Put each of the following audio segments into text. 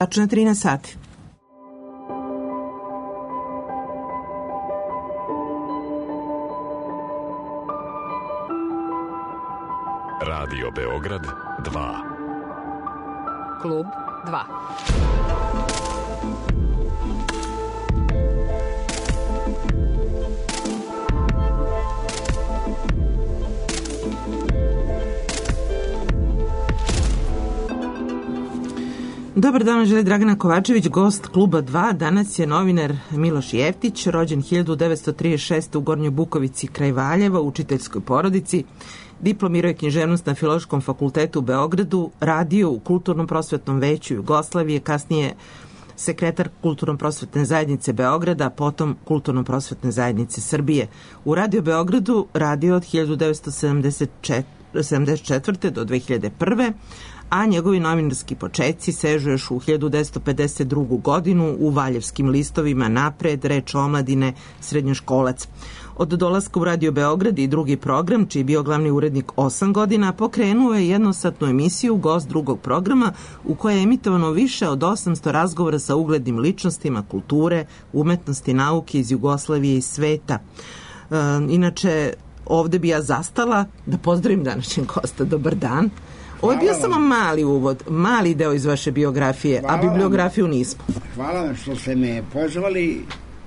Tačno 13 sati. Radio Beograd 2. Klub 2. Dobar dan, želi Dragana Kovačević, gost Kluba 2. Danas je novinar Miloš Jeftić, rođen 1936. u Gornjoj Bukovici kraj Valjeva, u učiteljskoj porodici. Diplomirao je književnost na Filološkom fakultetu u Beogradu, radio u Kulturnom prosvetnom veću Jugoslavije, kasnije sekretar Kulturno-prosvetne zajednice Beograda, potom Kulturno-prosvetne zajednice Srbije. U Radio Beogradu radio od 1974. do 2001. a njegovi novinarski početci sežu još u 1952. godinu u Valjevskim listovima Napred, Reč omladine, Srednjoškolac. Od dolaska u Radio Beograd i drugi program, čiji je bio glavni urednik 8 godina, pokrenuo je jednosatnu emisiju Gost drugog programa, u kojoj je emitovano više od 800 razgovora sa uglednim ličnostima kulture, umetnosti, nauke iz Jugoslavije i sveta. Inače, ovde bi ja zastala da pozdravim današnjeg gosta. Dobar dan. Ovo je bio samo mali uvod, mali deo iz vaše biografije, a bibliografiju nismo. Hvala vam što ste me pozvali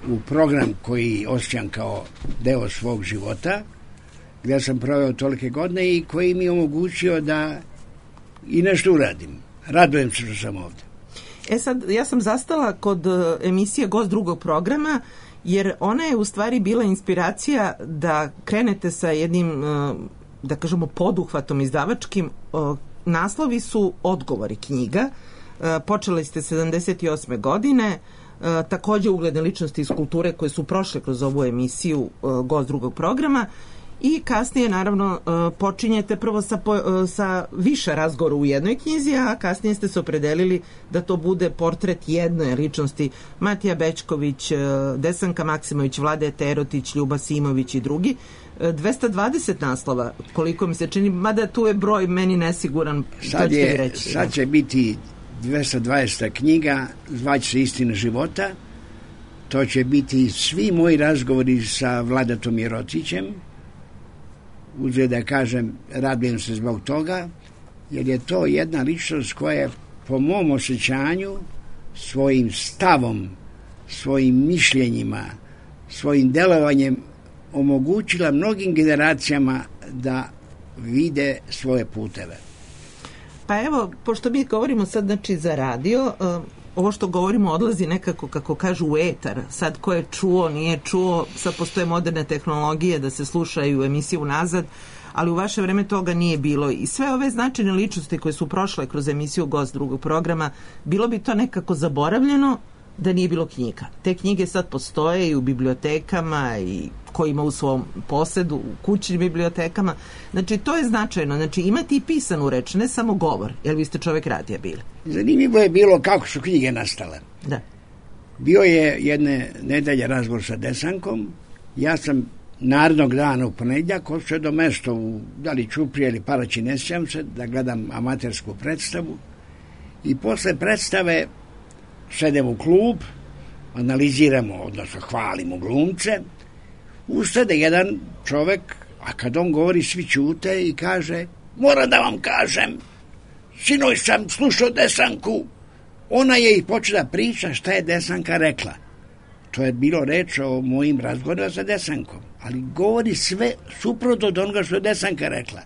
u program koji osjećam kao deo svog života, gdje sam proveo tolike godine i koji mi je omogućio da i nešto uradim. Radujem se što sam ovdje. Sad, ja sam zastala kod emisije Gost drugog programa, jer ona je u stvari bila inspiracija da krenete sa jednim, da kažemo, poduhvatom izdavačkim. Naslovi su Odgovori knjiga. Počeli ste 78. godine. Takođe ugledne ličnosti iz kulture koje su prošle kroz ovu emisiju Gost drugog programa i kasnije naravno počinjete prvo sa više razgovora u jednoj knjizi, a kasnije ste se opredelili da to bude portret jedne ličnosti: Matija Bećković, Desanka Maksimović, Vlade Terotić, Ljuba Simović i drugi. 220 naslova, koliko mi se čini, mada tu je broj meni nesiguran. Sad će biti 220. knjiga, zvaće se Istina života. To će biti svi moji razgovori sa Vladatom Jerotićem. Uzgled da kažem, radujem se zbog toga, jer je to jedna ličnost koja je po mom osjećanju svojim stavom, svojim mišljenjima, svojim delovanjem omogućila mnogim generacijama da vide svoje puteve. Pa evo, pošto mi govorimo sad znači za radio, ovo što govorimo odlazi nekako, kako kažu, u etar. Sad ko je čuo, nije čuo, sad postoje moderne tehnologije da se slušaju emisiju nazad, ali u vaše vreme toga nije bilo. I sve ove značajne ličnosti koje su prošle kroz emisiju Gost drugog programa, bilo bi to nekako zaboravljeno da nije bilo knjiga. Te knjige sad postoje i u bibliotekama i ko ima u svom posedu, u kućnim bibliotekama. Znači, to je značajno. Znači, imati i pisanu reč, ne samo govor, jer vi ste čovek radija bili. Zanimljivo je bilo kako su knjige nastale. Da. Bio je jedne nedelje razgovor sa Desankom. Ja sam narednog dana u ponedjeljak odšao do mesta u da li Ćuprije ili Paraći, ne sjećam se, da gledam amatersku predstavu. I posle predstave sedemo u klub, analiziramo, odnosno hvalimo glumce. Ustade jedan čovek, a kad on govori svi ćute i kaže: moram da vam kažem, sinoć sam slušao Desanku, ona je i počela priča šta je Desanka rekla. To je bilo reč o mojim razgovorima sa Desankom, ali govori sve suprotno od onoga što je Desanka rekla.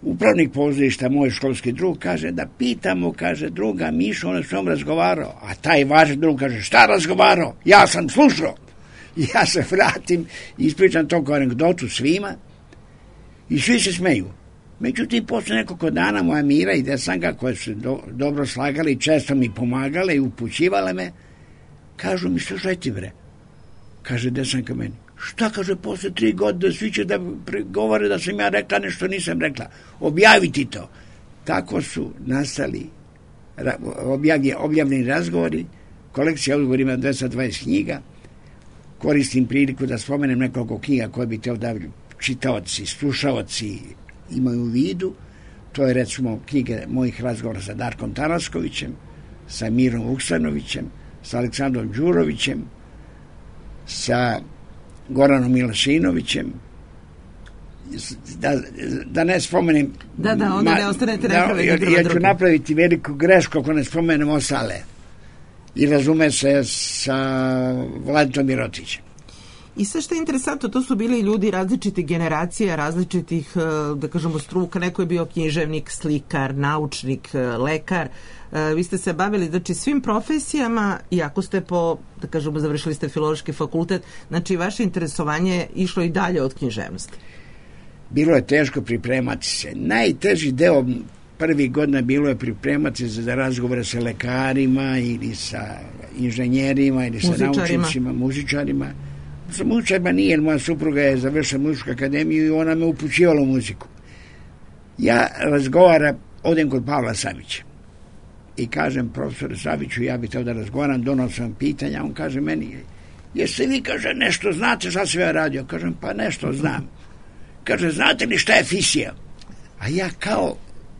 Upravnik pozorišta, moj školski drug, kaže da pitamo, kaže, druga Mišu, on je s njom razgovarao, a taj vaš drug kaže: šta razgovarao, ja sam slušao. Ja se vratim i ispričam to kao anegdotu svima i svi se smeju. Međutim, posle nekoliko dana moja Mira i Desanka, koje su dobro slagali i često mi pomagale i upućivale me, kažu mi: slušaj ti bre, kaže Desanka meni, šta, kaže, posle 3 godine svi će da govore da sam ja rekla nešto nisam rekla, objavi ti to. Tako su nastali objavljeni razgovori, kolekcija odgovora ima 220 knjiga. Koristim priliku da spomenem nekoliko knjiga koje bi teo da čitaoci, slušaoci imaju u vidu. To je recimo knjige mojih razgovora sa Darkom Taraskovićem, sa Mirom Vuksanovićem, sa Aleksandrom Đurovićem, sa Goranom Milašinovićem, da ne spomenem... Da, onda ne ostanete ja ću napraviti veliku grešku ako ne spomenem ostale. I razume se sa Vladom Mirotićem. I sve što je interesantno, to su bili ljudi različitih generacija, različitih, da kažemo, struka. Neko je bio književnik, slikar, naučnik, lekar. Vi ste se bavili, znači, svim profesijama, iako ste da kažemo, završili ste filološki fakultet, znači, vaše interesovanje je išlo i dalje od književnosti. Bilo je teško pripremati se. Najteži deo prvih godina bilo je pripremati se za razgovore sa lekarima ili sa inženjerima ili sa naučnicima, muzičarima. Sa muzičarima nije, jer moja supruga je završila muzičku akademiju i ona me upućivala u muziku. Ja odem kod Pavla Savića i kažem profesoru Saviću, ja bih teo da razgovaram, donosim pitanja, on kaže meni, jeste vi, kaže, nešto znate šta sam ja radio? Kažem, pa nešto znam. Kaže, znate li šta je fisija? A ja kao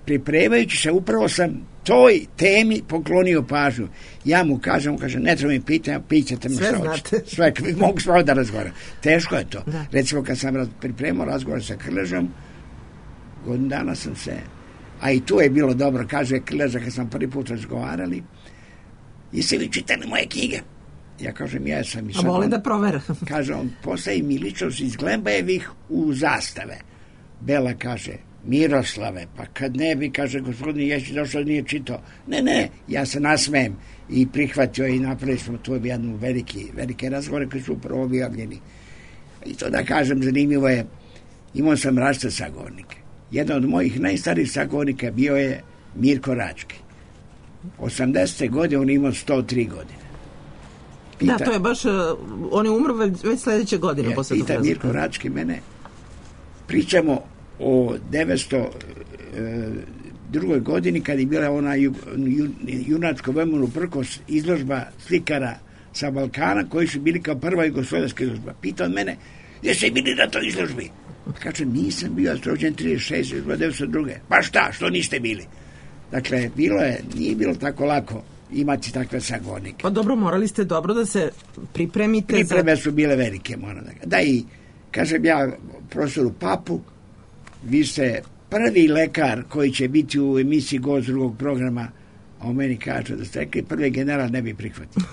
pripremajući se, upravo sam toj temi poklonio pažnju. Ja mu kažem, on kaže, ne treba mi pitanja, pitajte me šta hoćete. Sve, mogu s vama da razgovaram. Teško je to. Da. Recimo, kad sam pripremao razgovor sa Krležom, godinu dana sam se, a i tu je bilo dobro, kaže Krleža, kad sam prvi put razgovarali, jeste vi čitali moje knjige? Ja kažem, ja sam i sad... A voli da provera. Kaže, on postavi mi ličnost iz Glembajevih u zastave. Bela kaže, Miroslave, pa kad ne bi, kaže, gospodin Ješić došao, nije čitao. Ne, ja se nasmejem i prihvatio i napravili smo tu jednu velike razgovore koji su upravo objavljeni. I to da kažem, zanimljivo je, imao sam različite sagovornike. Jedan od mojih najstarijih sagovornika bio je Mirko Rački. 80. godine on imao 103 godine. Da, to je baš, on je umro već sledeće godine. Pita Mirko Rački mene, pričamo o 902. godini kad je bila ona junačko vremenu prkos izložba slikara sa Balkana koji su bili kao prva jugoslovenska izložba. Pita on mene, jeste bili na toj izložbi? Kaže, nisam bio, ja sam rođen 36, 902. Pa šta, što niste bili? Dakle, nije bilo tako lako imati takve sagovornike. Pa dobro, morali ste dobro da se pripremite. Pripreme su bile velike, moram da kažem. Da, i kažem ja profesoru Papu, vi ste prvi lekar koji će biti u emisiji Gost drugog programa, a o meni kaže da ste rekli, prvi general ne bi prihvatio.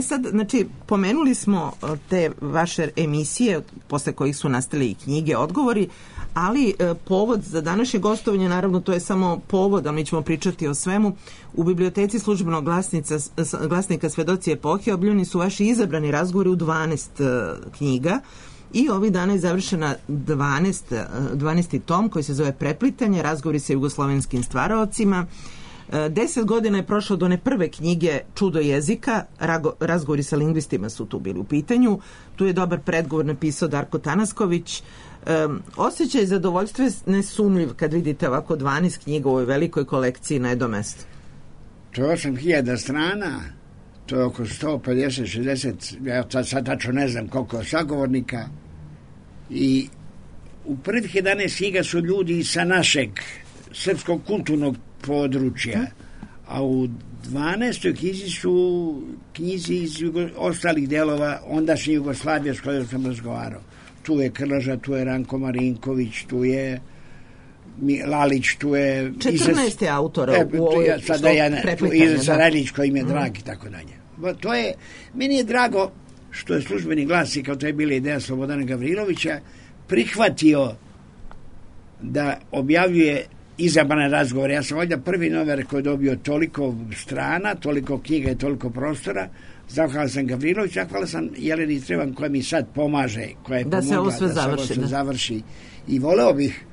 Sad, znači, pomenuli smo te vaše emisije, posle kojih su nastale i knjige, odgovori, ali povod za današnje gostovanje, naravno, to je samo povod, ali mi ćemo pričati o svemu. U biblioteci Službenog glasnika Svedoci epohe objavljeni su vaši izabrani razgovori u 12 knjiga i ovih dana je završena 12. tom koji se zove Preplitanje, razgovori sa jugoslovenskim stvaraocima. 10 godina je prošlo do one prve knjige Čudo jezika, razgovori sa lingvistima su tu bili u pitanju. Tu je dobar predgovor napisao Darko Tanasković. Osjećaj zadovoljstva je nesumljiv kad vidite ovako 12 knjiga u ovoj velikoj kolekciji na jednom mestu. To je 8000 strana, to je oko 150-60, ja sad tačno ne znam koliko sagovornika, i u prvih 11 knjiga su ljudi sa našeg srpskog kulturnog područja, a u 12. knjizi su knjizi iz ostalih delova ondašnje Jugoslavije s kojom sam razgovarao. Tu je Krleža, tu je Ranko Marinković, tu je Lalić, tu je... 14 autora u ovoj Preplitanje. Iza Sarajlić koji im je drag i tako dalje. To je, meni je drago što je Službeni glasnik, kao to je bila ideja Slobodana Gavrilovića, prihvatio da objavljuje izabrane razgovore. Ja sam ovdje prvi novinar koji je dobio toliko strana, toliko knjiga i toliko prostora. Zahvala sam Gavrilović, zahvala sam Jeleni Trevan koja mi sad pomaže, koja je da pomogla se ovo sve završi. I voleo bih,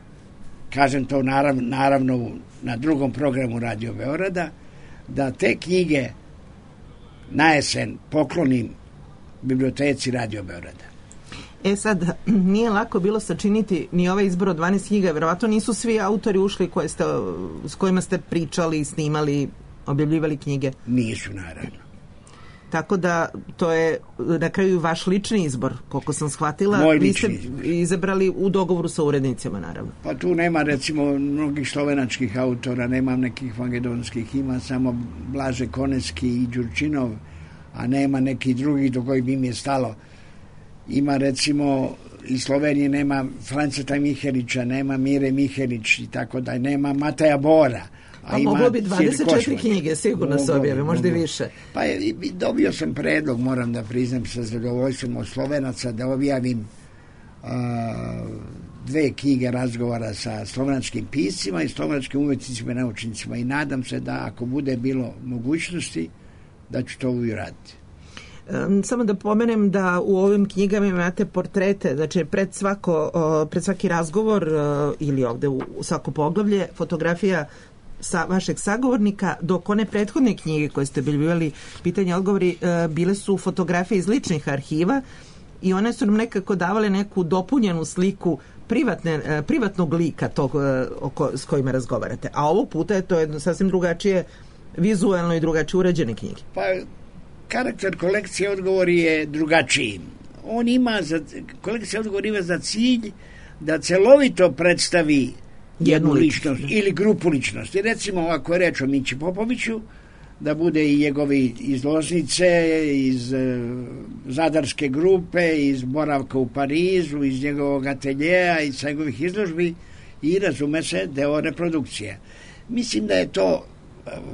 kažem to naravno na drugom programu Radio Beograda, da te knjige na jesen poklonim biblioteci Radio Beograda. Sad, nije lako bilo sačiniti ni ovaj izbor od 12 knjiga, verovatno nisu svi autori ušli s kojima ste pričali, snimali, objavljivali knjige. Nisu, naravno. Tako da to je na kraju vaš lični izbor, koliko sam shvatila. Moj vi ste lični izbor. izabrali u dogovoru sa urednicima, naravno. Pa tu nema recimo mnogih slovenačkih autora, nemam nekih makedonskih, ima samo Blaže Koneski i Đurčinov, a nema nekih drugih do kojih bi mi je stalo. Ima recimo iz Slovenije nema Franceta Mihelića, nema Mire Mihelić i tako da, nema Mateja Bora. Pa moglo bi 24 knjige, sigurno se objave, možda i više. Pa dobio sam predlog, moram da priznam sa zadovoljstvom od Slovenaca, da objavim 2 knjige razgovora sa slovenačkim piscima i slovenačkim umetnicima i naučnicima i nadam se da ako bude bilo mogućnosti da ću to uraditi. Samo da pomenem da u ovim knjigama imate portrete, znači pred svaki razgovor ili ovde u svako poglavlje fotografija sa vašeg sagovornika, dok one prethodne knjige koje ste objavljivali pitanja i odgovori bile su fotografije iz ličnih arhiva i one su nam nekako davale neku dopunjenu sliku privatnog lika tog s kojima razgovarate. A ovog puta je to jedno sasvim drugačije vizualno i drugačije urađene knjige. Pa karakter kolekcije odgovori je drugačiji. Kolekcija odgovori ima za cilj da celovito predstavi jednu ličnost ili grupu ličnosti. Recimo, ako je reč o Mići Popoviću, da bude i njegovi iz Loznice, iz Zadarske grupe, iz boravka u Parizu, iz njegovog ateljeja, iz njegovih izložbi i razume se deo reprodukcije. Mislim da je to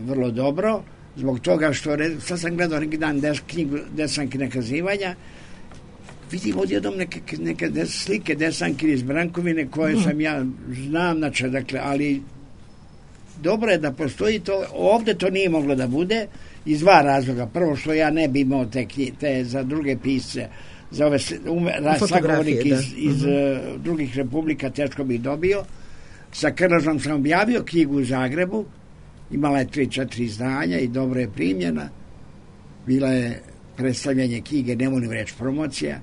vrlo dobro, zbog toga što sad sam gledao neki dan knjigu Desanki nakazivanja, vidim odjednom neke slike Desanki iz Brankovine koje sam ja znam, znači, dakle, ali dobro je da postoji to. Ovde to nije moglo da bude iz 2 razloga. Prvo što ja ne bi imao te za druge pisce, za ove sagovornike iz drugih republika, teško bih dobio. Sa Krležom sam objavio knjigu u Zagrebu, imala je 3-4 izdanja i dobro je primljena. Bila je predstavljanje knjige, ne volim reći promocija,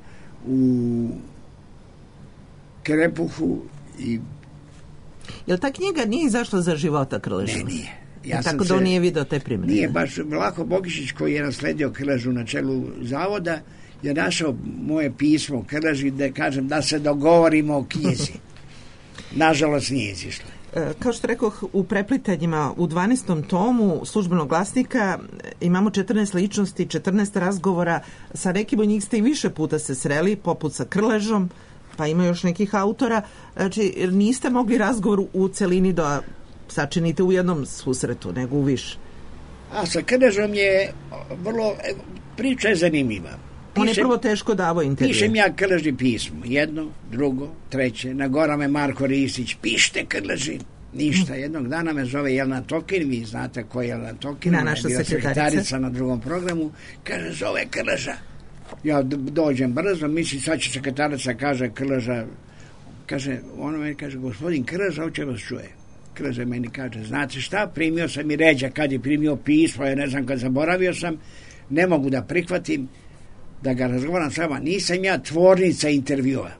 u Krepuhu i... Jel ta knjiga nije izašla za života Krleža? Ne, nije. Tako da on nije video te primjene. Nije, baš Vlaho Bogišić koji je nasledio Krležu na čelu zavoda je našao moje pismo Krleži da kažem da se dogovorimo o knjizi. Nažalost nije izišla. Kao što rekoh, u preplitanjima u 12. tomu Službenog glasnika imamo 14 ličnosti, 14 razgovora. Sa nekim od njih ste i više puta se sreli, poput sa Krležom, pa ima još nekih autora. Znači, niste mogli razgovor u celini da sačinite u jednom susretu, nego u više. A sa Krležom je vrlo... Priča je zanimljiva. On je prvo teško davao intervju. Pišem ja Krleži pismo. 1, 2, 3. Nagora me Marko Ristić. Pište Krleži. Ništa. Jednog dana me zove Jelena Tokin. Vi znate ko je Jelena Tokin. Naša sekretarica na drugom programu. Kaže, zove Krleža. Ja dođem brzo. Mislim, sad će sekretarica, kaže Krleža. Kaže, ono meni kaže, gospodin Krleža, hoće vas čuje. Krleža meni kaže, znate šta? Primio sam i ređa kad je primio pismo. Ja ne znam, kad zaboravio sam. Ne mogu da prihvatim da ga razgovaram s vama, nisam ja tvornica intervjua.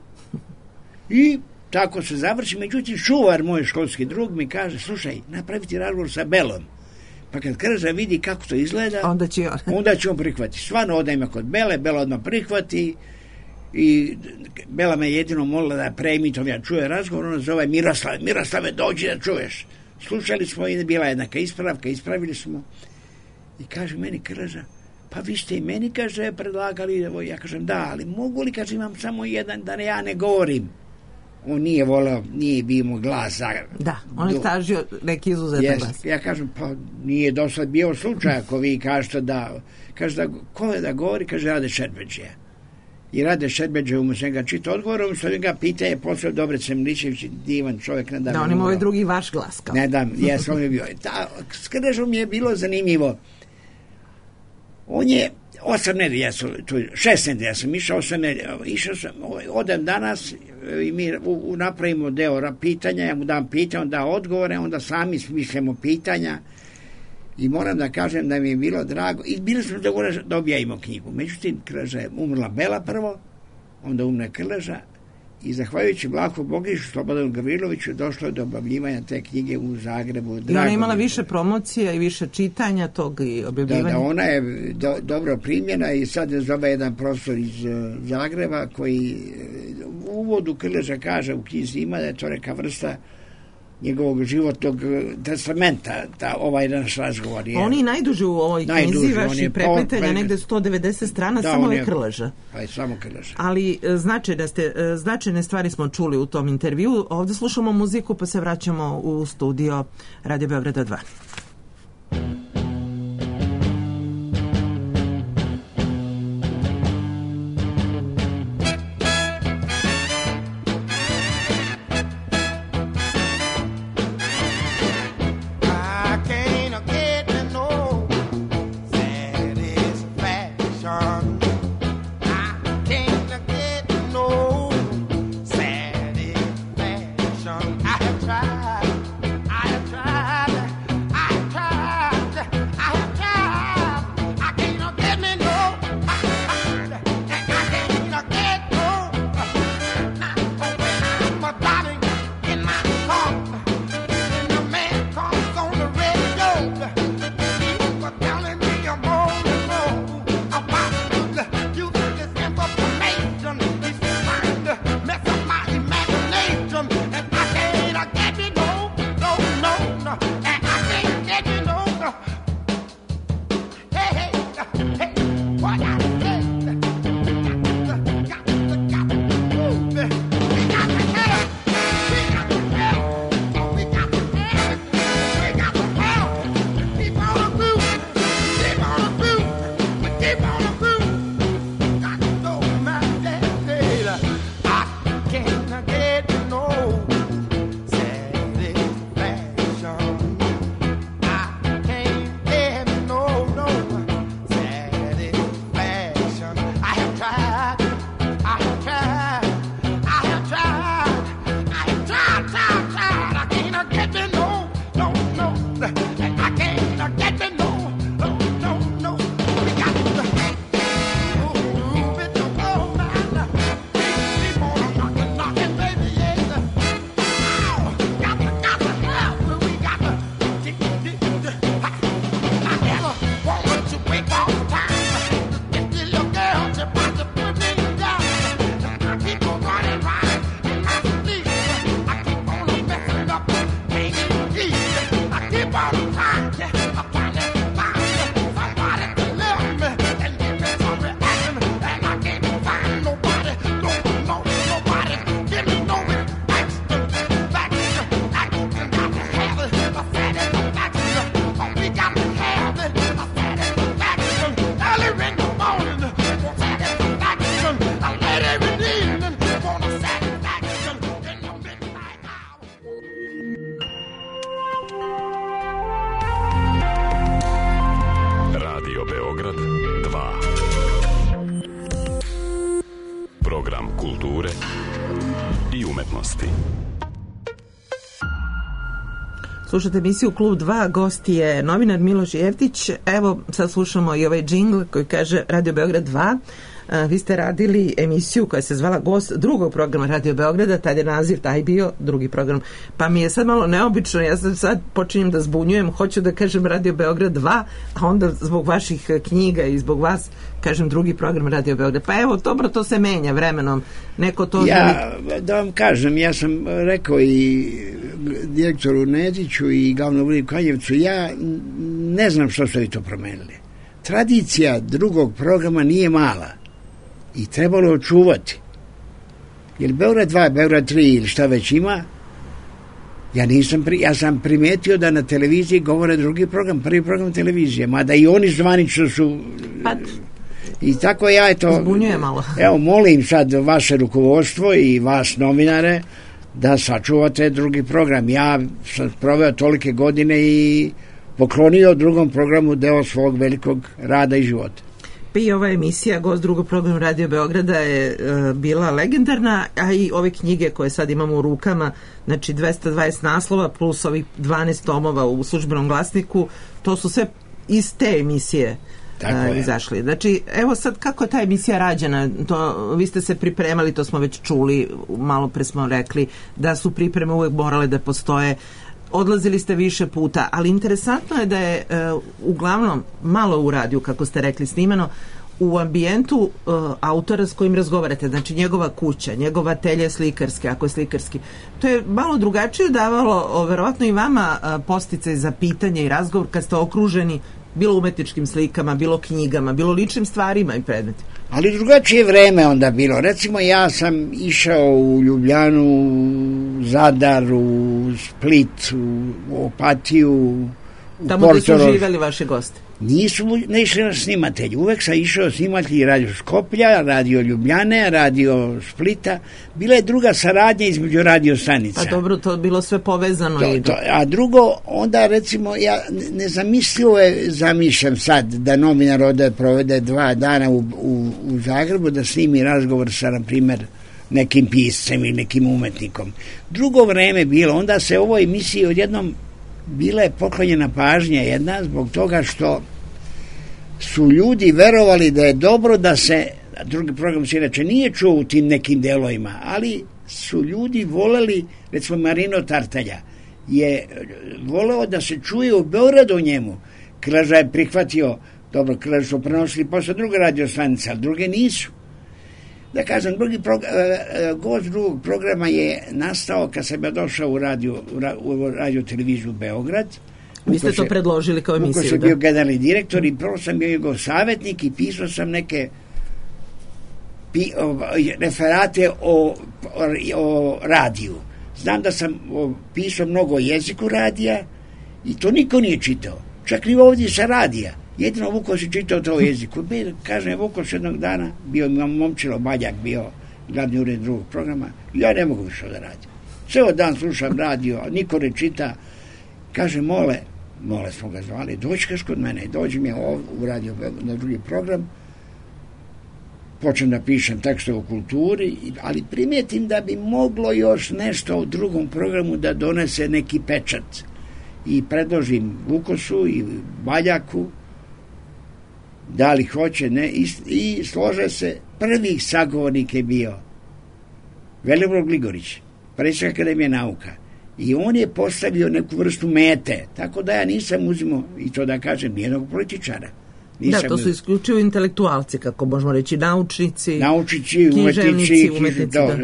I tako se završi, međutim čuvar, moj školski drug, mi kaže, slušaj, napraviti razgovor sa Belom. Pa kad Krleža vidi kako to izgleda, onda će on prihvatiti. Stvarno odajem kod Bele, Bela odmah prihvati i Bela me jedino molila da preemitom ja čuje razgovor, ona zove Miroslave, dođi da čuješ. Slušali smo i bila jednaka ispravka, ispravili smo i kaže meni Krleža, pa vi ste i meni, kaže, predlagali, ja kažem, da, ali mogu li, kaže, imam samo jedan, da ja ne govorim. On nije voleo, nije bio mu glas. Da, on je tražio neki izuzetan glas. Ja kažem, pa nije dosad bio slučaj, ako vi kažete da, kaže, da, ko je da govori, kaže, Rade Šerbeđe. I Rade Šerbeđe umjesto ga čita odgovorom, što ga pita je posle Dobrice Milićević, divan čovjek. Ne da, on ima ovaj drugi vaš glas. Kao. Ne dam, jes, on je bio. S Krležom je bilo zanimljivo. On je 8 nedelja, 6 nedelja sam išao, 8 nedelja, išao sam, odem danas i mi napravimo deo pitanja, ja mu dam pitanje, on da odgovore, onda sami smišljamo pitanja i moram da kažem da mi je bilo drago i bili smo da objavimo knjigu. Međutim, Krleža je umrla Bela prvo, onda umre Krleža I zahvaljujući Vlahu Bogišu, Slobodanu Gavriloviću, došlo je do objavljivanja te knjige u Zagrebu. I ona je imala više promocija i više čitanja tog i objavljivanja. Da, ona je dobro primljena i sad je zove jedan profesor iz Zagreba koji u uvodu Krleža kaže u knjizi ima da je to neka vrsta njegovog životnog testamenta, ovaj naš razgovor je. On je najduži u ovoj knjizi, vaši prepletanja, negde 190 strana, da, samo je Krleža. Pa je samo Krleža. Ali značajne stvari smo čuli u tom intervju. Ovde slušamo muziku, pa se vraćamo u studio Radio Beograda 2. Slušate emisiju Klub 2, gost je novinar Miloš Jeftić. Evo, sad slušamo i ovaj džingl koji kaže Radio Beograd 2. Vi ste radili emisiju koja se zvala Gost drugog programa Radio Beograda, tad je naziv taj bio, drugi program. Pa mi je sad malo neobično, ja sad počinjem da zbunjujem, hoću da kažem Radio Beograd 2, a onda zbog vaših knjiga i zbog vas kažem drugi program Radio Beograd. Pa evo, dobro, to se menja vremenom. Neko to... Da vam kažem, ja sam rekao i direktoru Nediću i glavnom uredniku Kanjevcu, ja ne znam što ste vi to promenili. Tradicija drugog programa nije mala i trebalo očuvati. Jer Beograd 2, Beograd 3 ili šta već ima, ja sam primetio da na televiziji govore drugi program, prvi program televizije, mada i oni zvanično su... I tako ja zbunjuje malo. Evo, molim sad vaše rukovodstvo i vas novinare da sačuvate drugi program. Ja sam proveo tolike godine i poklonio drugom programu deo svog velikog rada i života. Pa i ova emisija Gost drugog programa Radio Beograda je bila legendarna, a i ove knjige koje sad imamo u rukama, znači 220 naslova plus ovih 12 tomova u Službenom glasniku, to su sve iz te emisije izašli. Znači, evo sad kako je ta emisija rađena, vi ste se pripremali, to smo već čuli, malo pre smo rekli da su pripreme uvek morale da postoje, odlazili ste više puta, ali interesantno je da je uglavnom malo u radiju, kako ste rekli, snimano u ambijentu autora s kojim razgovarate, znači njegova kuća, njegova atelje slikarske, ako je slikarski. To je malo drugačije davalo, verovatno i vama, podsticaj za pitanje i razgovor kad ste okruženi bilo umetničkim slikama, bilo knjigama, bilo ličnim stvarima i predmetima. Ali drugačije vreme onda bilo. Recimo, ja sam išao u Ljubljanu, u Zadar, u Split, u Opatiju, u tamo gde su živeli vaše goste? Ne išli na snimatelji. Uvek sam išao snimatelji radio Skoplja, radio Ljubljane, radio Splita. Bila je druga saradnja između radio stanica. Pa dobro, to je bilo sve povezano. A drugo, onda recimo, ja nezamislivo zamišljam sad da novinar ode provede 2 dana u Zagrebu da snimi razgovor sa, na primjer, nekim piscem ili nekim umetnikom. Drugo vreme bilo, onda se ovoj emisiji odjednom bila je poklonjena pažnja jedna zbog toga što su ljudi verovali da je dobro da se, drugi program se inače nije čuo u tim nekim delovima, ali su ljudi voleli, recimo Marino Tartalja je voleo da se čuje u Beogradu o njemu. Krleža je prihvatio, dobro, Krleža su prenosili posle druge radio-stanice, ali druge nisu. Da kažem, gost drugog programa je nastao kad sam ja došao u radio televiziju Beograd. Vi ste to predložili kao emisiju, da? Uko sam bio generalni direktor i prvo sam bio njegov savjetnik i pisao sam neke referate o radiju. Znam da sam pisao mnogo o jeziku radija i to niko nije čitao. Čak ni ovdje sa radija. Jedino Vuko si čitao to o jeziku. Kažem, Vuko s jednog dana, bio Momčilo Baljak, bio glavni ured drugog programa, ja ne mogu više da radim. Ceo dan slušam radio, niko ne čita. Kaže, Mole smo ga zvali, dođi kod mene, dođi mi u radio na drugi program, počnem da pišem tekste o kulturi, ali primetim da bi moglo još nešto u drugom programu da donese neki pečat. I predložim Vukosu i Baljaku, da li hoće, ne, i slože se. Prvi sagovornik je bio Velibor Gligorić, predsjednik Akademije nauka, i on je postavio neku vrstu mete, tako da ja nisam uzimao, i to da kažem, nijednog političara. Da, to su isključivo intelektualci, kako možemo reći, naučnici,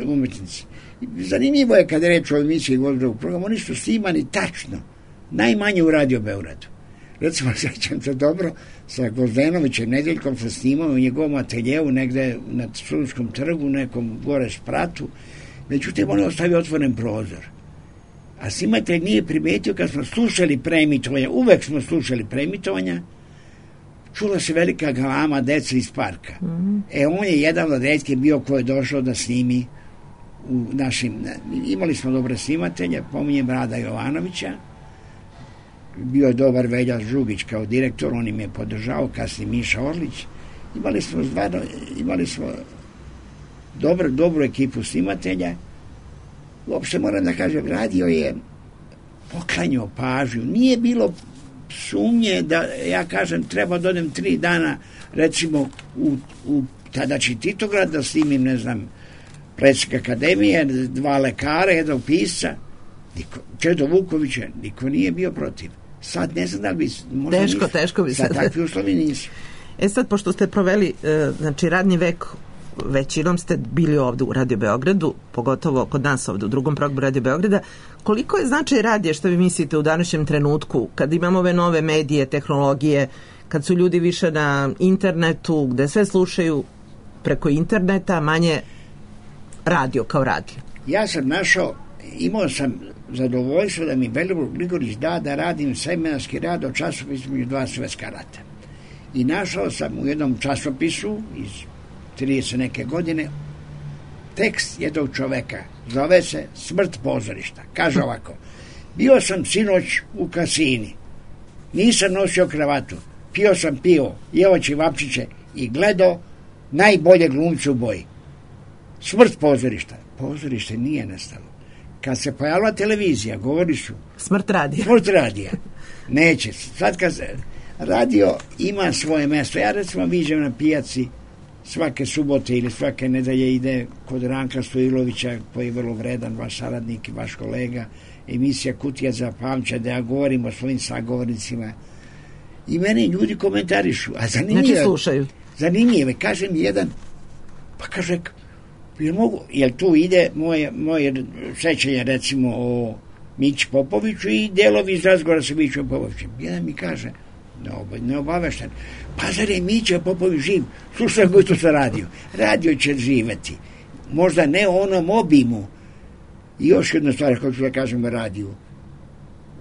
umetnici. Zanimljivo je kada reč o emisiji Gozdravog programa, oni su snimani tačno, najmanje u Radio Beogradu. Recimo, sećam se dobro, sa Gozdenovićem Nedeljkom sam snimao u njegovom ateljevu negde na Studentskom trgu, nekom gore spratu, međutim on je ostavio otvoren prozor. A snimatelj nije primetio kad smo slušali preemitovanja, uvek smo slušali preemitovanja, čula se velika galama deca iz parka. On je jedan od retkih bio ko je došao da snimi u našim, imali smo dobre snimatelje, pominjem Rada Jovanovića, bio je dobar Velja Žugić kao direktor, on im je podržao, kasnije Miša Orlić. Imali smo dobru ekipu snimatelja. Uopšte moram da kažem, radio je poklanjao pažnju. Nije bilo sumnje da, ja kažem, treba da odem 3 dana, recimo, u tadašnji Titograd, da snimim, ne znam, predsjednik Akademije, 2 lekara, 1 pisca, Čedo Vukovića, niko nije bio protiv. Sad ne znam da li bi... Teško bi sad. Takvi uslovi nisu. Sad, pošto ste proveli, znači, radni vek, većinom ste bili ovde u Radio Beogradu, pogotovo kod nas ovde u drugom programu Radio Beograda, koliko je značaj radija, što vi mislite, u današnjem trenutku, kad imamo ove nove medije, tehnologije, kad su ljudi više na internetu, gde sve slušaju preko interneta, manje radio kao radio? Ja sam imao sam zadovoljstvo da mi Velibor Gligorić da radim seminarski rad o časopisu između 2 svetska rata. I našao sam u jednom časopisu iz 30 neke godine tekst jednog čoveka, zove se Smrt pozorišta. Kaže ovako: bio sam sinoć u kasini, nisam nosio kravatu, pio sam pivo, jeo ćevapčiće i gledao najbolje glumce u boji. Smrt pozorišta. Pozorište nije nestalo. Kad se pojavila televizija, govori su smrt radija. Neće. Sad Radio ima svoje mesto. Ja recimo viđem na pijaci svake subote ili svake nedelje ide kod Ranka Stojilovića, koji je vrlo vredan, vaš saradnik i vaš kolega, emisija Kutija za pamćenje, da ja govorim o svojim sagovornicima. I meni ljudi komentarišu. A znači slušaju. Zanimljive. Kaže mi jedan, pa kaže, jel tu ide moje sećanje recimo o Mići Popoviću i delovi iz razgovora sa Mićom Popovićem. Jedan mi kaže, neobavešten, pa zar je Mića Popović živ? Slušaj koji to sa radio. Radio će živeti. Možda ne u onom obimu. I još jedna stvar koju ću da kažem o radiju.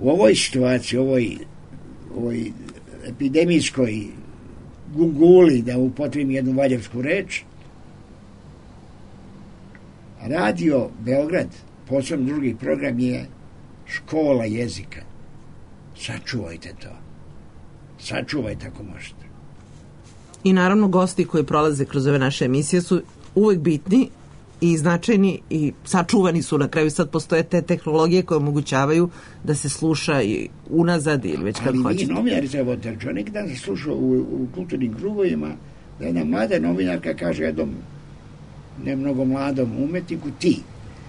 U ovoj situaciji, ovoj epidemijskoj gunguli, da upotrebim jednu valjevsku reč, Radio Beograd, posebno drugi program, je škola jezika. Sačuvajte to. Sačuvajte ako možete. I naravno gosti koji prolaze kroz ove naše emisije su uvek bitni i značajni i sačuvani su na kraju. Sad postoje te tehnologije koje omogućavaju da se sluša i unazad ili već kako hoćete. Ali mi novinari treba otrčao. Neki dan sam slušao u kulturnim krugovima da jedna mlada novinarka kaže jednom ne mnogo mladom umetniku ti.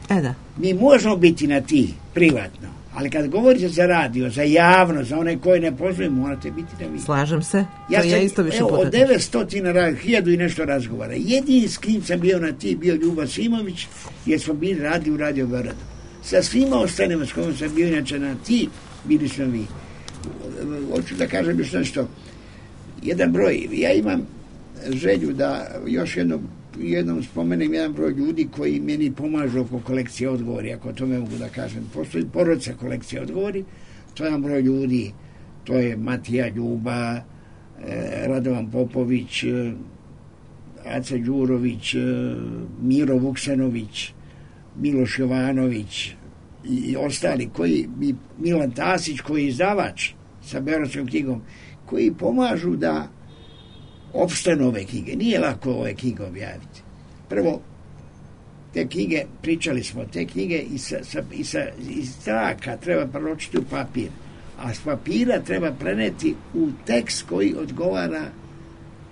Da. Mi možemo biti na ti privatno, ali kad govorite za radio, za javno, za one koje ne poznaju, morate biti na vi. Slažem se. Ja isto više puta. Od 900, 1000 i nešto razgovara. Jedini s kim sam bio na ti bio Ljuba Simović, jer smo bili u Radio Beogradu. Sa svima ostanima s kojom sam bio inače na ti, bili smo vi. Hoću da kažem još nešto. Jedan broj, ja imam želju da još jednom spomenem jedan broj ljudi koji meni pomažu oko kolekcije odgovori, ako to me mogu da kažem. Postoji porodica kolekcije odgovori, to je jedan broj ljudi, to je Matija Ljuba, Radovan Popović, Aca Đurović, Miro Vuksanović, Miloš Jovanović i ostali, Milan Tasić koji je izdavač sa Beogradskom knjigom, koji pomažu da opstanu ove knjige. Nije lako ove knjige objaviti. Prvo, te knjige, pričali smo, te knjige iz traka treba preločiti u papir, a s papira treba preneti u tekst koji odgovara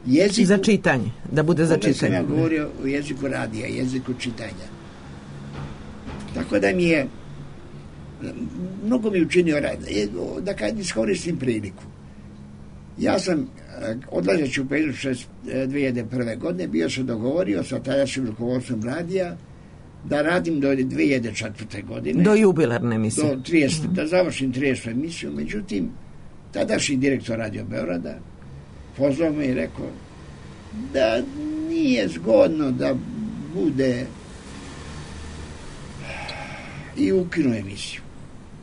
jeziku. Za čitanje, da bude za čitanje. Sam ja govorio o jeziku radija, jeziku čitanja. Tako da mi je mnogo mi učinio rad. Da kad iskoristim priliku. Ja sam odlazeći u Pejzu 2001. godine bio se dogovorio sa tadašnjim rukovodstvom radija da radim do 2004. godine. Do jubilarne emisije. Da završim 30. emisiju. Međutim, tadašnji direktor Radio Beograda pozvao me i rekao da nije zgodno da bude i ukinuo emisiju.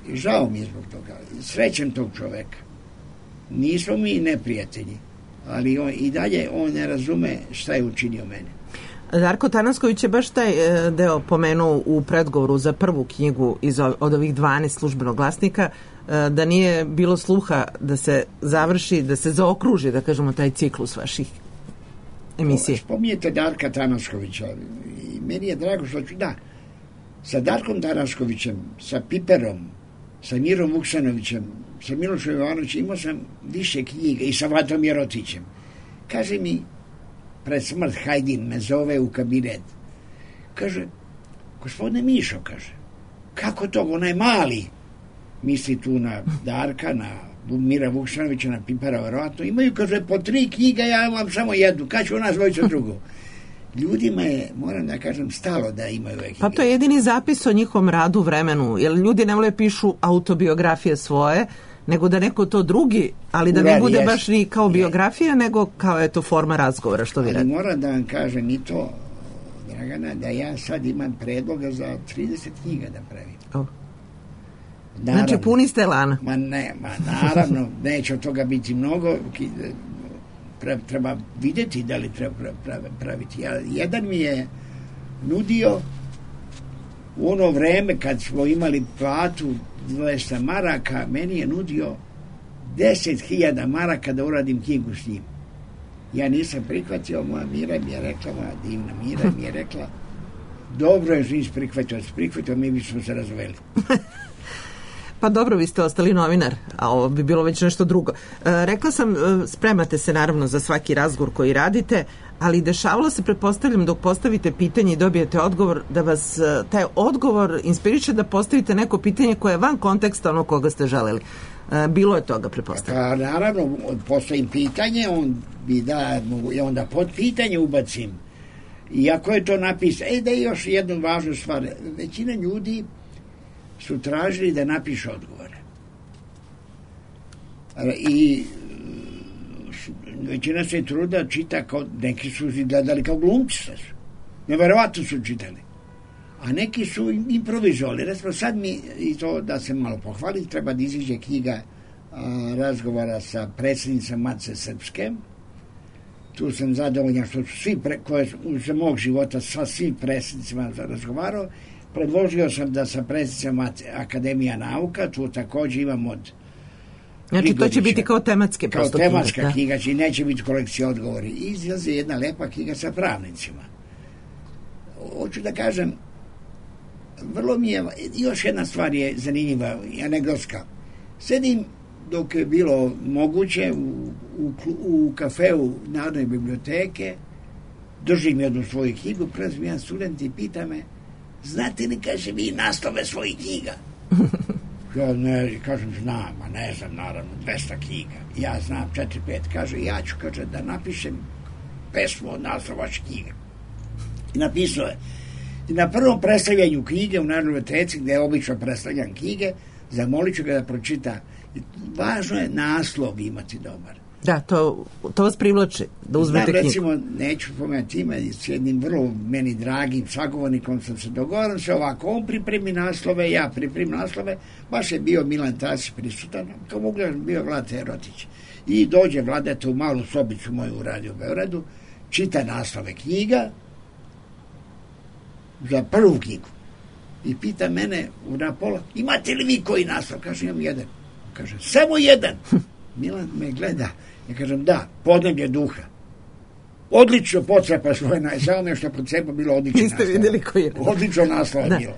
I žao mi je zbog toga. Srećem tog čoveka. Nismo mi neprijatelji, ali i dalje on ne razume šta je učinio mene. Darko Tanasković je baš taj deo pomenuo u predgovoru za prvu knjigu od ovih 12 službenog glasnika, da nije bilo sluha da se završi, da se zaokruži, da kažemo, taj ciklus vaših emisije. Spominjete Darka Tanaskovića i meni je drago što ću, sa Darkom Tanaskovićem, sa Piperom, sa Mirom Vuksanovićem, sa Milošom Jovanovićem imao sam više knjiga i sa Vatom Jerotićem. Kaže mi, pred smrt Hajdin me zove u kabinet. Kaže, gospodine Mišo, kaže, kako to, onaj mali, misli tu na Darka, na Mira Vuksanovića, na Pipera, verovatno, imaju, kaže, po 3 knjiga, ja vam samo jednu, kad ću nas dvojica drugu. Ljudima je, moram da kažem, stalo da imaju ove knjige. Pa to je jedini zapis o njihovom radu, vremenu, jer ljudi ne vole pišu autobiografije svoje, nego da neko to drugi, ali da ne bude baš ni kao biografija, nego kao eto forma razgovora, što vi radite. Ali moram da vam kažem i to, Dragana, da ja sad imam predloga za 30 knjiga da pravim. Znači puni ste lana. Naravno, neće od toga biti mnogo, treba vidjeti da li treba praviti. Jedan mi je nudio u ono vreme kad smo imali platu 200 maraka, meni je nudio 10.000 maraka da uradim knjigu s njim. Ja nisam prihvatio, moja Mira mi je rekla, moja divna Mira mi je rekla, dobro je što nisi prihvatio, mi bismo se razveli. Pa dobro, vi ste ostali novinar, a ovo bi bilo već nešto drugo. Rekla sam, spremate se naravno za svaki razgovor koji radite, ali dešavalo se, pretpostavljam, dok postavite pitanje i dobijete odgovor, da vas taj odgovor inspiriše da postavite neko pitanje koje je van konteksta ono koga ste želeli. Bilo je toga, pretpostavljam. Pa naravno, postavim pitanje, i onda pod pitanje ubacim. Iako je to napisano, da je još jednu važnu stvar. Većina ljudi su tražili da napiše odgovore. I većina se truda čita kao, neki su gledali kao glumci. Neverovatno su čitali. A neki su improvizovali. Recimo, sad mi, i to da se malo pohvalim, treba da iziđe knjiga razgovora sa predsjednicom Matice Srpske. Tu sam zadovoljan što su svi, koje za mog života sa svim predsjednicima razgovarao. Predložio sam da sa predsjednicama Akademija nauka, tu također imam od Znači, to će biti kao tematske kao tematska knjiga, znači neće biti kolekcija odgovori. Izlazi jedna lepa knjiga sa pravnicima. Hoću da kažem, vrlo mi je, još jedna stvar je zanimljiva, anegdotska. Sedim, dok je bilo moguće, u kafeu Narodne biblioteke, držim jednu svoju knjigu, prelazim jedan student i pita me, znate li, kaže, vi naslove svojih knjiga? Ja ne, kažem, znam, a ne znam, naravno, 200 knjiga. Ja znam 4-5, kaže, ja ću, kaže, da napišem pesmu od naslova vaših knjiga. I napisao je. I na prvom predstavljanju knjige u Narodnoj biblioteci, gde je obično predstavljam knjige, zamolit ću ga da pročita. Važno je naslov imati dobar. Da, to vas privlači, da uzmete knjigu. Recimo, neću pomenuti ime, s jednim vrlo meni dragim sagovornikom sam se dogovorio se ovako, on pripremi naslove, ja pripremim naslove, baš je bio Milan Tasić prisutan, kao mogu da bio Vlada Erotić. I dođe Vladeta u malu sobicu moju u Radio Beogradu, čita naslove knjiga za prvu knjigu. I pita mene na pola, imate li vi koji naslov? Kaže, imam jedan. Kaže, samo jedan. Milan me gleda. Ja kažem, da, Podneblje duha. Odlično pocepa svoje, samo me što pocepa bilo odlično naslov. Niste vidjeli koji je. Odlično naslov je bilo.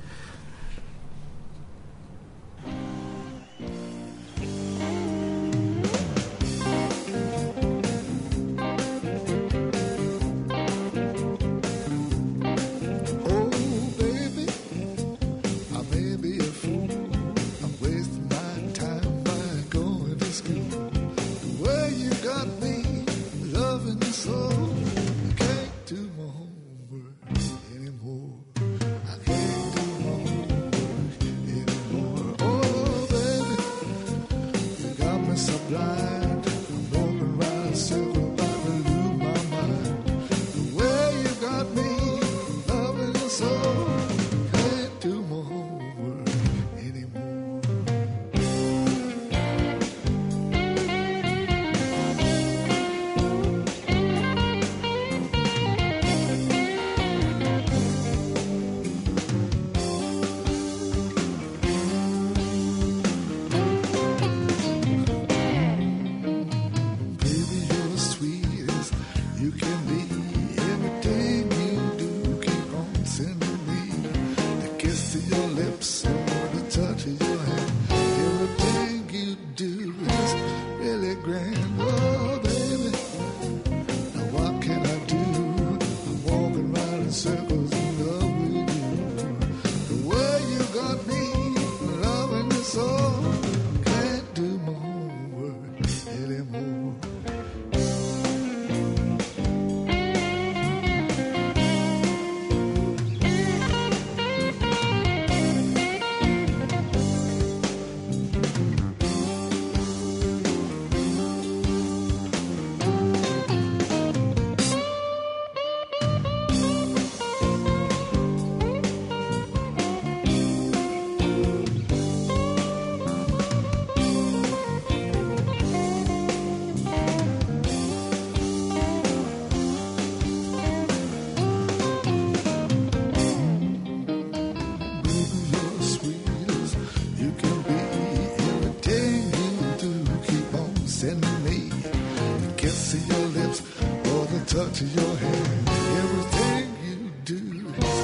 To your hand, everything you do is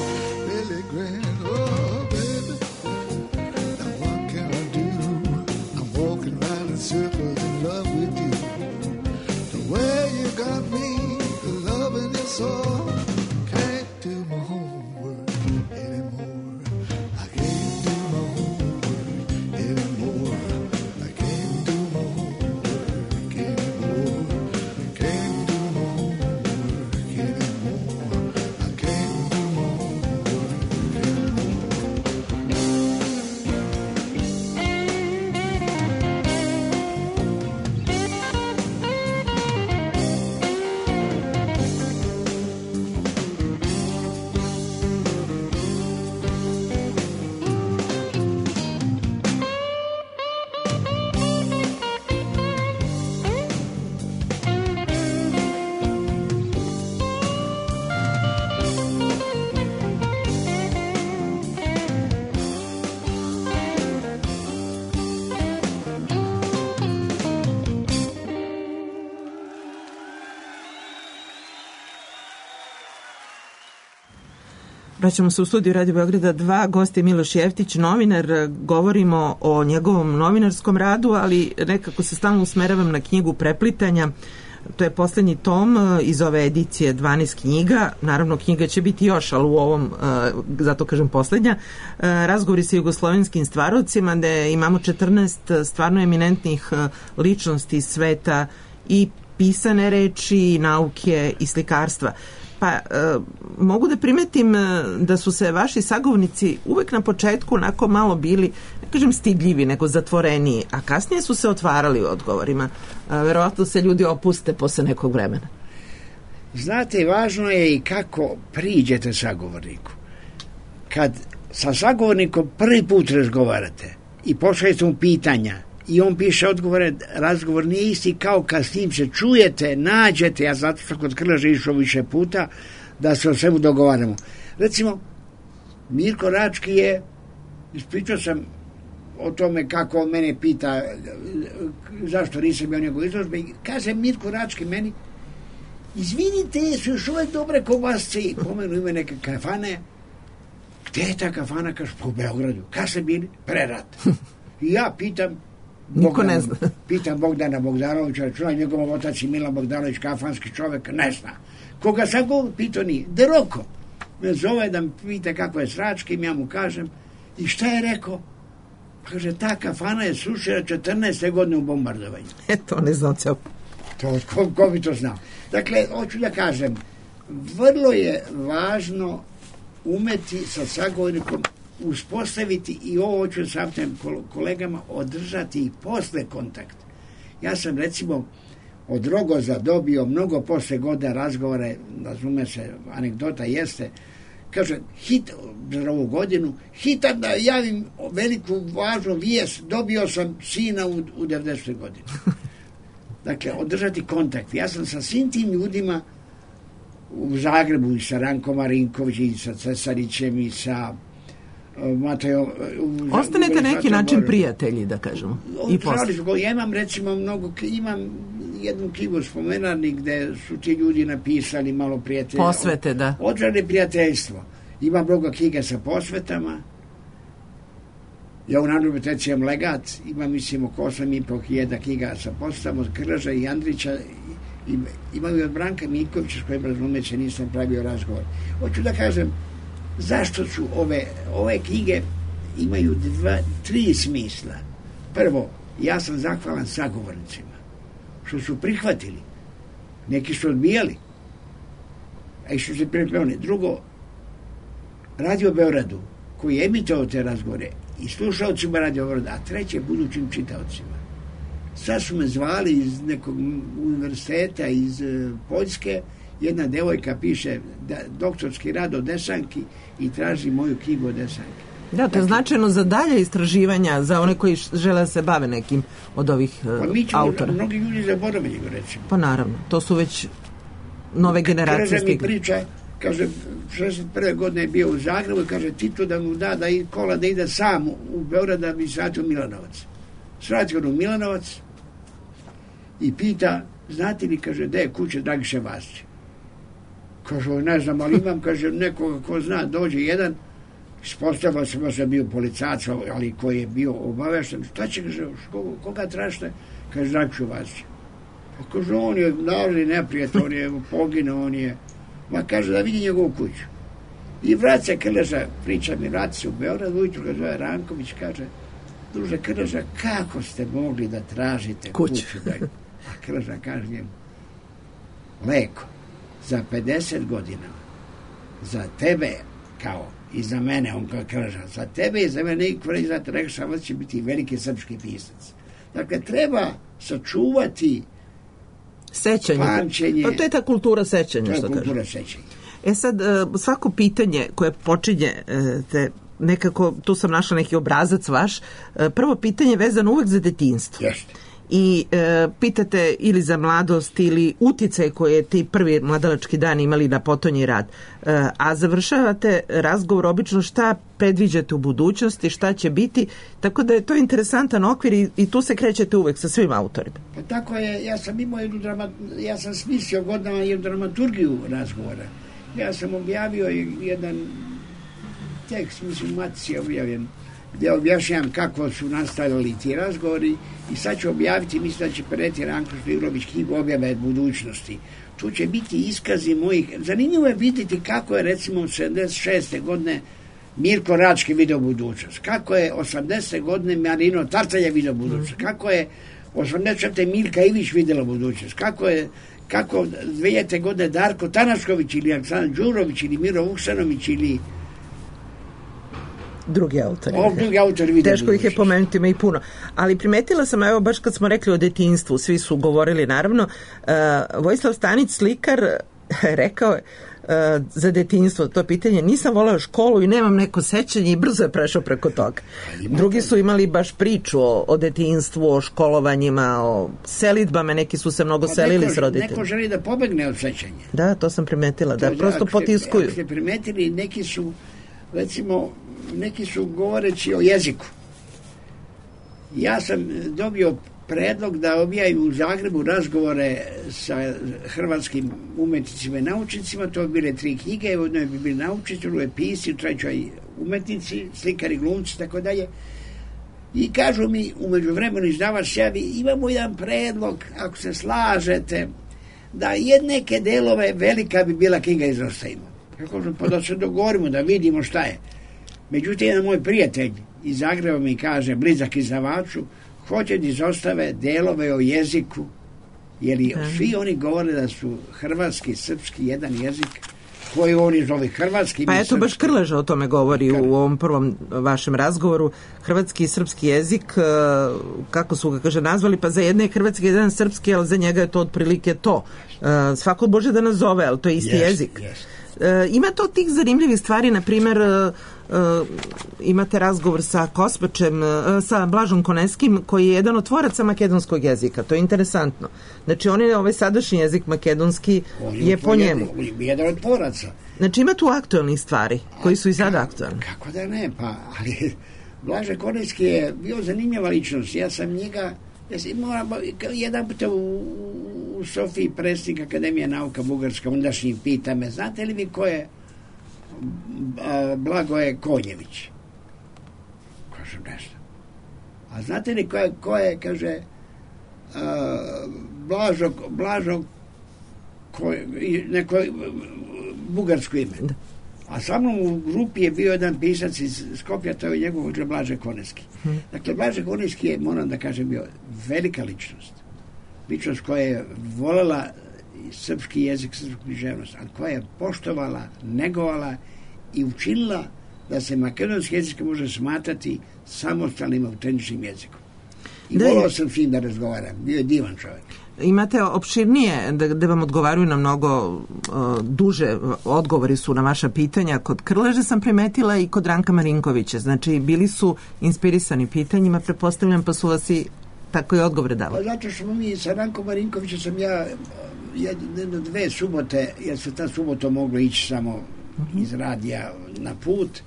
really grand. Oh, baby, now what can I do? got me loving you so. Can't do my homework anymore. I can't do my homework anymore. I can't do my homework anymore. Can't do my homework anymore. I can't do my homework Vraćamo se u studiju Radio Beograda 2, gost je Miloš Jeftić, novinar, govorimo o njegovom novinarskom radu, ali nekako se stalno usmeravam na knjigu Preplitanja, to je poslednji tom iz ove edicije 12 knjiga, naravno knjiga će biti još, ali u ovom, zato kažem poslednja, razgovori sa jugoslovenskim stvarovcima, gde imamo 14 stvarno eminentnih ličnosti sveta i pisane reči, i nauke i slikarstva. Pa mogu da primetim da su se vaši sagovornici uvek na početku onako malo bili, ne kažem stidljivi, nego zatvoreniji, a kasnije su se otvarali u odgovorima. Verovatno se ljudi opuste posle nekog vremena. Znate, važno je i kako priđete sagovorniku. Kad sa sagovornikom prvi put razgovarate i pošaljete mu pitanja i on piše odgovore, razgovor nije isti kao kad s njim se čujete, nađete, ja zato što kod Krleže išao više puta, da se o svemu dogovaramo. Recimo, Mirko Rački je, ispričao sam o tome kako on mene pita zašto nisam bio njegov izložbe, i kaže Mirko Rački meni, izvinite, su još uvek dobre kobasce, i pomenu ime neke kafane. Gde je ta kafana? Kaže, po Beogradu. Kad ste bili? Pre rata. I ja pitam, Niko ne zna. Pitam Bogdana Bogdanovića, računa njegov otac i Milan Bogdanović, kafanski čovek, ne zna. Koga sam go pitao nije. Deroko me zove da mi pita kako je s Račkim, ja mu kažem, i šta je rekao? Kaže, ta kafana je srušena 14. godine u bombardovanju. Eto, ne znam ceo. To, ko bi to znao? Dakle, hoću da kažem, vrlo je važno umeti sa sagovornikom uspostaviti, i ovo hoću sa kolegama, održati i posle kontakt. Ja sam recimo od Rogoza dobio mnogo posle godina razgovore, razume se, anegdota jeste, kaže, za ovu godinu, hitam da javim veliku važnu vijest, dobio sam sina u 90. godini. Dakle, održati kontakt. Ja sam sa svim tim ljudima u Zagrebu i sa Rankom Marinkovićem i sa Cesarićem i sa Matejom. Ostanete neki način prijatelji, da kažemo. I posle. Ja imam recimo imam jednu knjigu spomenarnik gde su ti ljudi napisali malo prijatelja. Posvete, da. Odžane prijateljstvo. Imam mnogo knjiga sa posvetama. Ja u Narodnoj biblioteci imam legat, imam mislim oko 8.500 knjiga sa posvetama od Krleža i Andrića, imam i od Branka Mikovića, s kojim razumeće nisam pravio razgovor. Hoću da kažem, zašto su ove knjige imaju 3 smisla. Prvo, ja sam zahvalan sagovornicima što su prihvatili. Neki su odbijali, a i što se pripremili. Drugo, Radio Beogradu, koji je emitao te razgovore, i slušalcima Radio Beograda, a treće, budućim čitaocima. Sad su me zvali iz nekog univerziteta iz Poljske, jedna devojka piše doktorski rad o Desanki i traži moju knjigu o Desanki. Da, to je značajno za dalje istraživanja, za one koji žele da se bave nekim od ovih autora. Mnogi ljudi zaboravili go, recimo. Pa naravno, to su već nove generacije. Krleža mi priča, kaže, 61. godine je bio u Zagrebu i kaže, Tito da mu da kola da ide sam u Beograd da bi svratio Milanovac. Svratio u Milanovac i pita, znate li, kaže, gde je kuća Dragiše Vasića? Kaže, ne znam, ali imam, kaže, nekoga ko zna, dođe jedan, ispostavilo se možda bio policac, ali koji je bio obavešten, šta će, kaže, koga tražite? Kaže, Dragišu Vasića. Kaže, on je narodni neprijatelj, on je poginuo, on je... Ma kaže da vidi njegovu kuću. I vrat se Krleža, priča mi, vrati se u Beograd, ujutru ga zove Ranković, kaže, druže Krleža, kako ste mogli da tražite kuću? A Krleža kaže njemu, leko, za 50 godina, za tebe, kao i za mene, on kao Krleža, za tebe i za mene, i znate, rekao sam, će biti veliki srpski pisac. Dakle, treba sačuvati sećanje. Pamćenje. Pa to je ta kultura sećanja. To je kultura sećanja. Sad, svako pitanje koje počinje nekako, tu sam našla neki obrazac vaš, prvo pitanje je vezano uvek za detinjstvo. Jeste. I pitate ili za mladost ili uticaj koje ti prvi mladalački dani imali na potonji rad. A završavate razgovor obično šta predviđate u budućnosti, šta će biti, tako da je to interesantan okvir i tu se krećete uvek sa svim autorima. Pa tako je, ja sam imao ja sam smislio godinama jednu dramaturgiju razgovora. Ja sam objavio jedan tekst, mislim, u Matici je objavljen, gdje objašnjam kako su nastavili ti razgovori i sad ću objaviti, mislim da će Pereti Ranko Šligrović knjigu Objave budućnosti. Tu će biti iskazi mojih... Zanimljivo je vidjeti kako je, recimo, 76. godine Mirko Rački video budućnost, kako je 80. godine Marino Tartalja video budućnost, kako je 84. Milka Ivić videla budućnost, kako 2000. godine Darko Tanašković ili Aleksandar Đurović ili Miro Vuksanović ili drugi autori. Teško ih je pomenuti, ima i puno. Ali primetila sam, evo baš kad smo rekli o detinjstvu, svi su govorili naravno, Vojislav Stanić, slikar, rekao je za detinjstvo to pitanje, nisam voleo školu i nemam neko sećanje i brzo je prešao preko toga. Drugi su imali baš priču o detinjstvu, o školovanjima, o selidbama, neki su se mnogo selili s roditeljima. Neko želi da pobegne od sećanja. Da, to sam primetila, da prosto potiskuju. Ako ste primetili, neki su, recimo, govoreći o jeziku. Ja sam dobio predlog da objavim u Zagrebu razgovore sa hrvatskim umetnicima i naučnicima, to bi bile 3 knjige, u jednoj bi bili naučnici, u drugoj pisci, u trećoj umetnici, slikari, glumci, tako dalje. I kažu mi, umeđu vremenu izdavač javi, imamo jedan predlog, ako se slažete, da neke delove velika bi bila knjiga izostavimo. Ja kažem, pa da se dogovorimo, da vidimo šta je. Međutim, jedan moj prijatelj iz Zagreba mi kaže, blizak izdavaču, hoće da izostave delove o jeziku, jer svi oni govore da su hrvatski i srpski jedan jezik koji oni zove hrvatski. Pa eto, baš Krleža o tome govori u ovom prvom vašem razgovoru. Hrvatski i srpski jezik, kako su ga, kaže, nazvali, pa za jedne je hrvatski, jedan srpski, ali za njega je to otprilike to. Svako može da nazove, ali to je isti jezik. Ima to tih zanimljivih stvari, na primjer, imate razgovor sa Kospačem, sa Blažom Koneskim, koji je jedan od tvoraca makedonskog jezika. To je interesantno. Znači, on je ovaj sadašnji jezik makedonski je po njemu. On je jedan od tvoraca. Znači, ima tu aktualnih stvari koji su i sada aktualni. Kako da ne, pa, ali Blaža Koneski je bio zanimljiva ličnost. Ja sam njega, jedan puta u Sofiji predsjednik Akademije nauka Bugarska, ondašnji pita me, znate li vi ko je Blagoje Konjević? Kažem, nešto. A znate li ko je, kaže, Blažo neko bugarsko ime. A sa mnom u grupi je bio jedan pisac iz Skopja, to je njegov Blaže Koneski. Dakle, Blaže Koneski je, moram da kažem, bio velika ličnost. Ličnost koja je voljela srpski jezik, srpsku književnost, a koja je poštovala, negovala i učinila da se makedonski jezik može smatrati samostalnim, autentičnim jezikom. I volao sam s njim da razgovaram. Bio je divan čovjek. Imate opširnije, da vam odgovaraju na mnogo duže odgovori su na vaša pitanja. Kod Krleže sam primetila i kod Ranka Marinkovića. Znači, bili su inspirisani pitanjima, pretpostavljam, pa su vas i tako i odgovore davali. Pa zato što mi sa Rankom Marinkovićem sam ja jedno 2 subote, jer se ta subota moglo ići samo iz radija na put,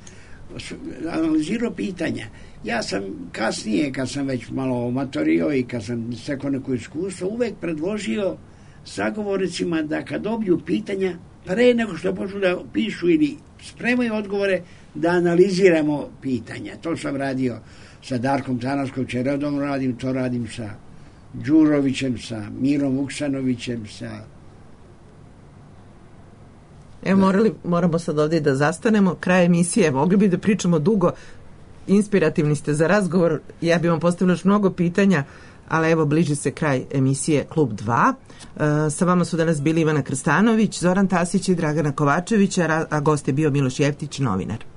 analizirao pitanja. Ja sam kasnije, kad sam već malo omatorio i kad sam stekao neko iskustvo, uvek predložio sagovornicima da kad dobiju pitanja, pre nego što počnu da pišu ili spremaju odgovore, da analiziramo pitanja. To sam radio sa Darkom Tanaškovićem, redovno radim, to radim sa Đurovićem, sa Mirom Vuksanovićem, sa... Evo, moramo sad ovdje da zastanemo. Kraj emisije, mogli bi da pričamo dugo, inspirativni ste za razgovor, ja bih vam postavila još mnogo pitanja, ali evo, bliži se kraj emisije Klub 2. Sa vama su danas bili Ivana Krstanović, Zoran Tasić i Dragana Kovačević, a gost je bio Miloš Jeftić, novinar.